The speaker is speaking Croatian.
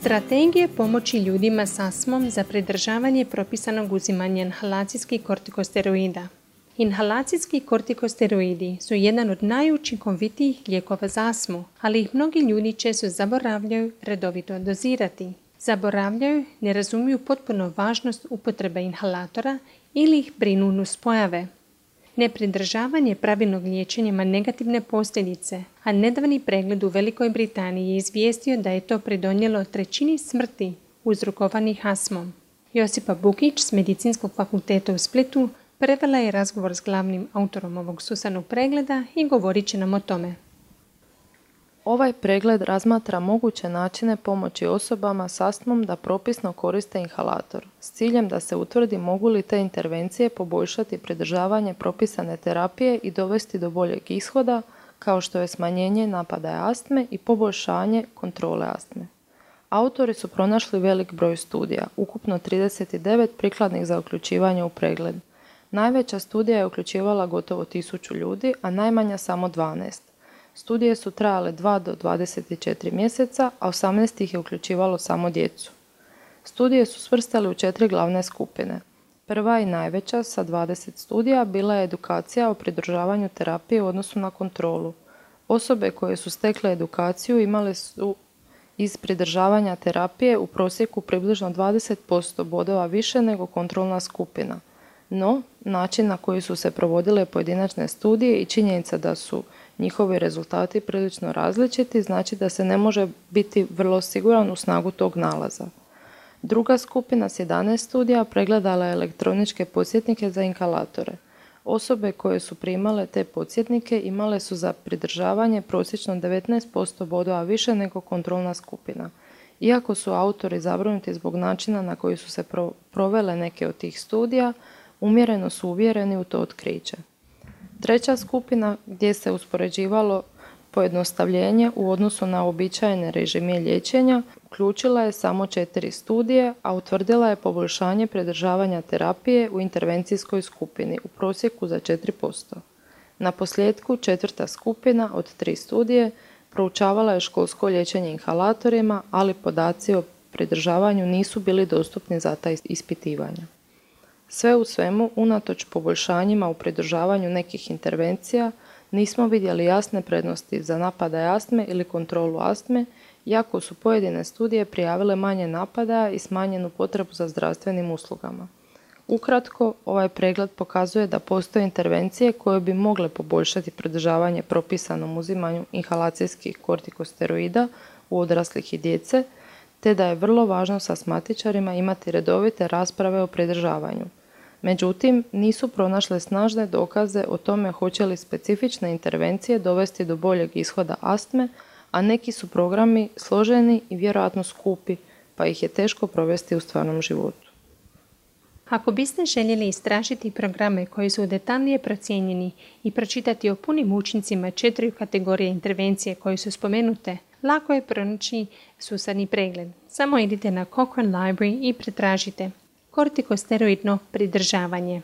Strategije pomoći ljudima s astmom za pridržavanje propisanog uzimanja inhalacijskih kortikosteroida. Inhalacijski kortikosteroidi su jedan od najučinkovitijih lijekova za astmu, ali ih mnogi ljudi često zaboravljaju redovito dozirati. Zaboravljaju, ne razumiju potpuno važnost upotrebe inhalatora ili ih brinu nuspojave. Nepridržavanje pravilnog liječenja ima negativne posljedice, a nedavni pregled u Velikoj Britaniji je izvijestio da je to pridonijelo 1/3 smrti uzrokovanih astmom. Josipa Bukić s Medicinskog fakulteta u Splitu prevela je razgovor s glavnim autorom ovog sustavnog pregleda i govorit će nam o tome. Ovaj pregled razmatra moguće načine pomoći osobama s astmom da propisno koriste inhalator, s ciljem da se utvrdi mogu li te intervencije poboljšati pridržavanje propisane terapije i dovesti do boljeg ishoda, kao što je smanjenje napadaja astme i poboljšanje kontrole astme. Autori su pronašli velik broj studija, ukupno 39 prikladnih za uključivanje u pregled. Najveća studija je uključivala gotovo 1000 ljudi, a najmanja samo 12. Studije su trajale 2 do 24 mjeseca, a 18 ih je uključivalo samo djecu. Studije su svrstali u 4 glavne skupine. Prva i najveća sa 20 studija bila je edukacija o pridržavanju terapije u odnosu na kontrolu. Osobe koje su stekle edukaciju imale su iz pridržavanja terapije u prosjeku približno 20% bodova više nego kontrolna skupina. No, način na koji su se provodile pojedinačne studije i činjenica da su njihovi rezultati prilično različiti znači da se ne može biti vrlo siguran u snagu tog nalaza. Druga skupina s 11 studija pregledala je elektroničke podsjetnike za inhalatore. Osobe koje su primale te podsjetnike imale su za pridržavanje prosječno 19% bodova više nego kontrolna skupina. Iako su autori zabrinuti zbog načina na koji su se provele neke od tih studija, umjereno su uvjereni u to otkriće. Treća skupina, gdje se uspoređivalo pojednostavljenje u odnosu na uobičajene režime liječenja, uključila je samo 4 studije, a utvrdila je poboljšanje pridržavanja terapije u intervencijskoj skupini u prosjeku za 4%. Na posljedku, četvrta skupina od 3 studije proučavala je školsko liječenje inhalatorima, ali podaci o pridržavanju nisu bili dostupni za ta ispitivanja. Sve u svemu, unatoč poboljšanjima u pridržavanju nekih intervencija, nismo vidjeli jasne prednosti za napadaje astme ili kontrolu astme, iako su pojedine studije prijavile manje napadaja i smanjenu potrebu za zdravstvenim uslugama. Ukratko, ovaj pregled pokazuje da postoje intervencije koje bi mogle poboljšati pridržavanje propisanom uzimanju inhalacijskih kortikosteroida u odraslih i djece, te da je vrlo važno s astmatičarima imati redovite rasprave o pridržavanju. Međutim, nisu pronašle snažne dokaze o tome hoće li specifične intervencije dovesti do boljeg ishoda astme, a neki su programi složeni i vjerojatno skupi, pa ih je teško provesti u stvarnom životu. Ako biste željeli istražiti programe koji su detaljnije procijenjeni i pročitati o punim učincima 4 kategorije intervencije koje su spomenute, lako je pronaći sustavni pregled. Samo idite na Cochrane Library i pretražite kortikosteroidno pridržavanje.